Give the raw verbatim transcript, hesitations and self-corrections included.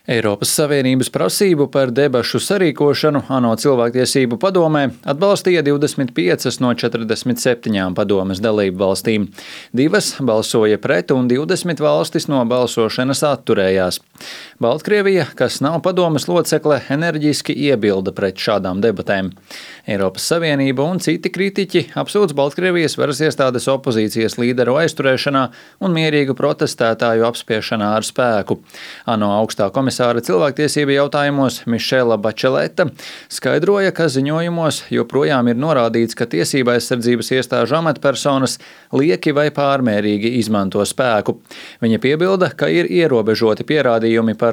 Eiropas Savienības prasību par debašu sarīkošanu ANO cilvēktiesību padomē atbalstīja divdesmit piecas no četrdesmit septiņām padomes dalību valstīm. Divas balsoja pret un divdesmit valstis no balsošanas atturējās. Baltkrievija, kas nav padomes locekle, enerģiski iebilda pret šādām debatēm. Eiropas Savienība un citi kritiķi apsūdz Baltkrievijas varas iestādes opozīcijas līderu aizturēšanā un mierīgu protestētāju apspiešanā ar spēku. ANO augstā komisāra cilvēktiesību jautājumos Mišela Bačeleta skaidroja, ka ziņojumos joprojām ir norādīts, ka tiesība aizsardzības iestāžu amatpersonas lieki vai pārmērīgi izmanto spēku. Viņa piebilda, ka ir ierobežoti pierādījumi par